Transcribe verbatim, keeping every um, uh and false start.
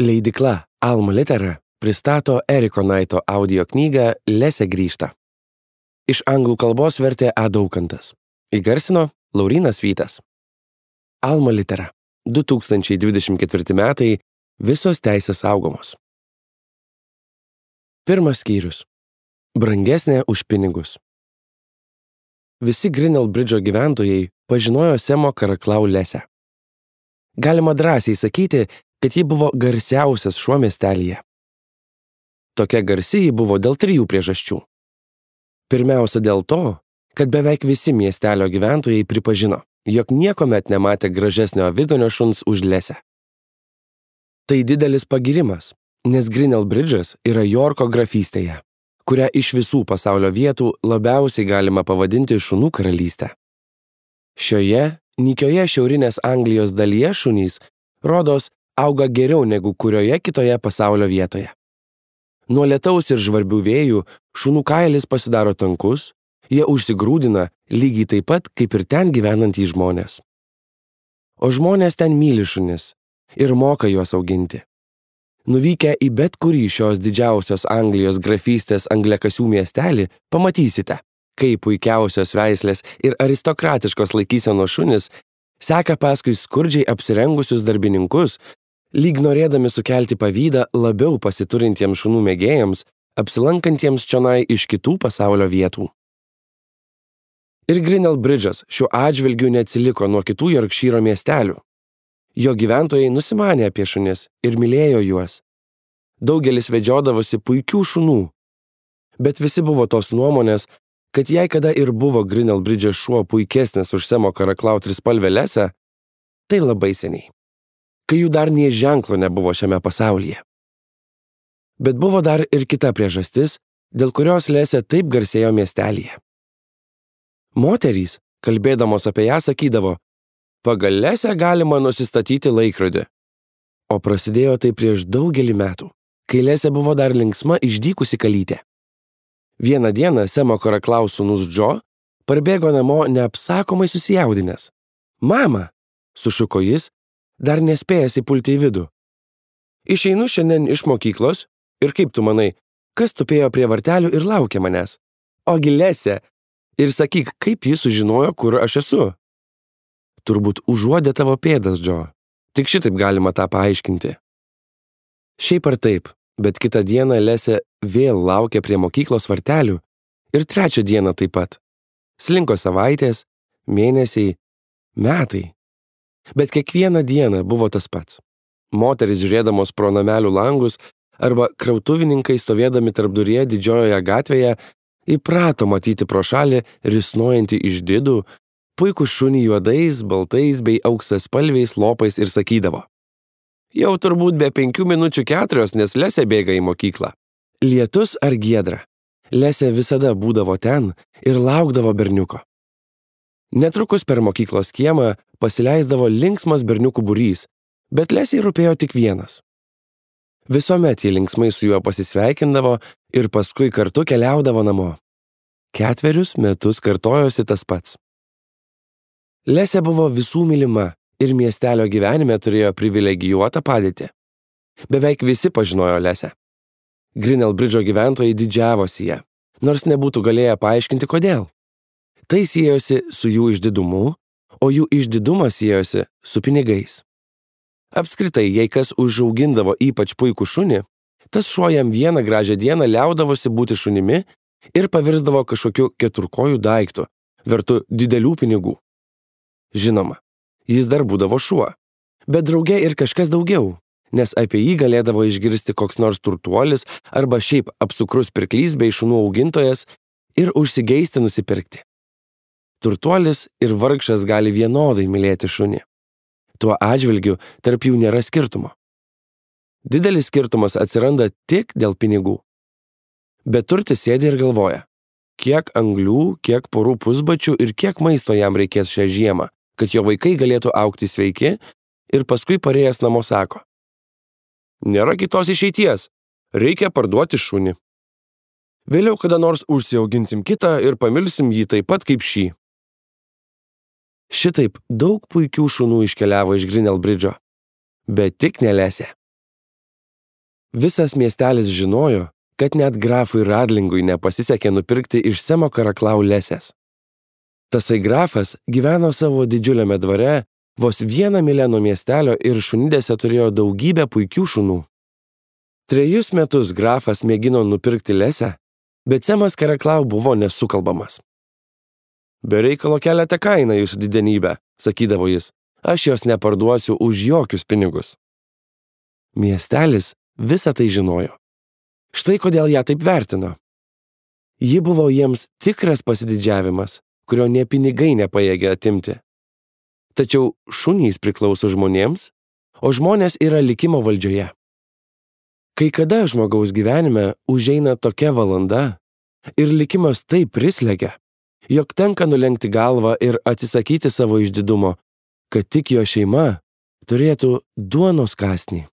Leidykla Alma Litera pristato Eriko Naito audio knygą Lesė grįžta. Iš anglų kalbos vertė A. Daukantas. Įgarsino Laurynas Vytas. Alma Litera. du tūkstančiai dvidešimt ketvirti metai. Visos teisės saugomos. Pirmas skyrius. Brangesnė už pinigus. Visi Grinnell Bridge'o gyventojai pažinojo Semo Karaklau Lesę. Galima drąsiai sakyti, kad ji buvo garsiausias šuo miestelyje. Tokia garsi ji buvo dėl trijų priežasčių. Pirmiausia dėl to, kad beveik visi miestelio gyventojai pripažino, jog niekuomet nematė gražesnio aviganio šuns už Lesę. Tai didelis pagirimas, nes Grinnell Bridge'as yra Jorko grafystėje, kurią iš visų pasaulio vietų labiausiai galima pavadinti šunų karalystę. Šioje nykioje šiaurinės Anglijos dalyje šunys, rodos, auga geriau negu kurioje kitoje pasaulio vietoje. Nuo lietaus ir žvarbių vėjų šunų kailis pasidaro tankus, jie užsigrūdina lygiai taip pat, kaip ir ten gyvenantys žmonės. O žmonės ten myli šunis ir moka juos auginti. Nuvykę į bet kurį šios didžiausios Anglijos grafystės angliakasių miestelį, pamatysite, kaip puikiausios veislės ir aristokratiškos laikysenos šunis seka paskui skurdžiai apsirengusius darbininkus, lyg norėdami sukelti pavydą labiau pasiturintiems šunų mėgėjams, apsilankantiems čionai iš kitų pasaulio vietų. Ir Grinnell Bridge'as šiuo atžvilgiu neatsiliko nuo kitų Jorkšyro miestelių. Jo gyventojai nusimanė apie šunis ir mylėjo juos. Daugelis vedžiodavosi puikių šunų, bet visi buvo tos nuomonės, kad jei kada ir buvo Grinnell Bridge'as šuo puikesnis už Semo Karaklau trispalvę Lesę, tai labai seniai, kai jų dar nė ženklo nebuvo šiame pasaulyje. Bet buvo dar ir kita priežastis, dėl kurios Lesė taip garsėjo miestelyje. Moterys, kalbėdamos apie ją, sakydavo, pagal Lesę galima nusistatyti laikrodį. O prasidėjo tai prieš daugelį metų, kai Lesė buvo dar linksma išdykusi kalytė. Vieną dieną Semo Karaklau sūnus Džo parbėgo namo neapsakomai susijaudinęs. Mama, sušuko jis, dar nespėjęs įpulti į vidų. Išeinu šiandien iš mokyklos ir kaip tu manai, kas tupėjo prie vartelių ir laukė manęs? Ogi Lesė. Ir sakyk, kaip jis sužinojo, kur aš esu? Turbūt užuodė tavo pėdas, Džo. Tik šitaip galima tą paaiškinti. Šiaip ar taip, bet kitą dieną Lesė vėl laukė prie mokyklos vartelių ir trečią dieną taip pat. Slinko savaitės, mėnesiai, metai. Bet kiekvieną dieną buvo tas pats. Moterys žiūrėdamos pro namelių langus arba krautuvininkai stovėdami tarpduryje didžiojoje gatvėje įprato matyti pro šalį risnojantį išdidų, puikų šunį juodais, baltais bei auksaspalviais lopais ir sakydavo. Jau turbūt be penkių minučių keturios, nes Lesė bėga į mokyklą. Lietus ar giedra. Lesė visada būdavo ten ir laukdavo berniuko. Netrukus per mokyklos kiemą pasileisdavo linksmas berniukų būrys, bet Lesei rūpėjo tik vienas. Visuomet jį linksmai su juo pasisveikindavo ir paskui kartu keliaudavo namo. Ketverius metus kartojosi tas pats. Lesė buvo visų mylima ir miestelio gyvenime turėjo privilegijuotą padėtį. Beveik visi pažinojo Lesę. Grinnell Bridge'o gyventojai didžiavosi ją, nors nebūtų galėję paaiškinti kodėl. Tai siejosi su jų išdidumu, o jų išdidumas siejosi su pinigais. Apskritai, jei kas užaugindavo ypač puikų šunį, tas šuo jam vieną gražią dieną liaudavosi būti šunimi ir pavirsdavo kažkokiu keturkojų daiktu, vertu didelių pinigų. Žinoma, jis dar būdavo šuo, bet drauge ir kažkas daugiau, nes apie jį galėdavo išgirsti koks nors turtuolis arba šiaip apsukrus pirklys bei šunų augintojas ir užsigeisti nusipirkti. Turtuolis ir vargšas gali vienodai mylėti šunį. Tuo atžvilgiu tarp jų nėra skirtumo. Didelis skirtumas atsiranda tik dėl pinigų. Bet turtis sėdi ir galvoja, kiek anglių, kiek porų pusbačių ir kiek maisto jam reikės šią žiemą, kad jo vaikai galėtų augti sveiki ir paskui parėjęs namo sako. Nėra kitos išeities, reikia parduoti šunį. Vėliau kada nors užsiauginsim kitą ir pamilsim jį taip pat kaip šį. Šitaip daug puikių šunų iškeliavo iš Grinnell Bridge'o, bet tik ne Lesė. Visas miestelis žinojo, kad net grafui Radlingui nepasisekė nupirkti iš Semo Karaklau lesės. Tasai grafas gyveno savo didžiuliame dvare, vos vieną mylę nuo miestelio ir šunidėse turėjo daugybę puikių šunų. Trejus metus grafas mėgino nupirkti lesę, bet Semas Karaklau buvo nesukalbamas. Be reikalo keliate kainą, jūsų didenybę, sakydavo jis, aš jos neparduosiu už jokius pinigus. Miestelis visą tai žinojo. Štai kodėl ją taip vertino. Ji buvo jiems tikras pasididžiavimas, kurio nė pinigai nepajėgė atimti. Tačiau šunys priklauso žmonėms, o žmonės yra likimo valdžioje. Kai kada žmogaus gyvenime užeina tokia valanda ir likimas taip prislegia, jog tenka nulenkti galvą ir atsisakyti savo išdidumo, kad tik jo šeima turėtų duonos kąsnį.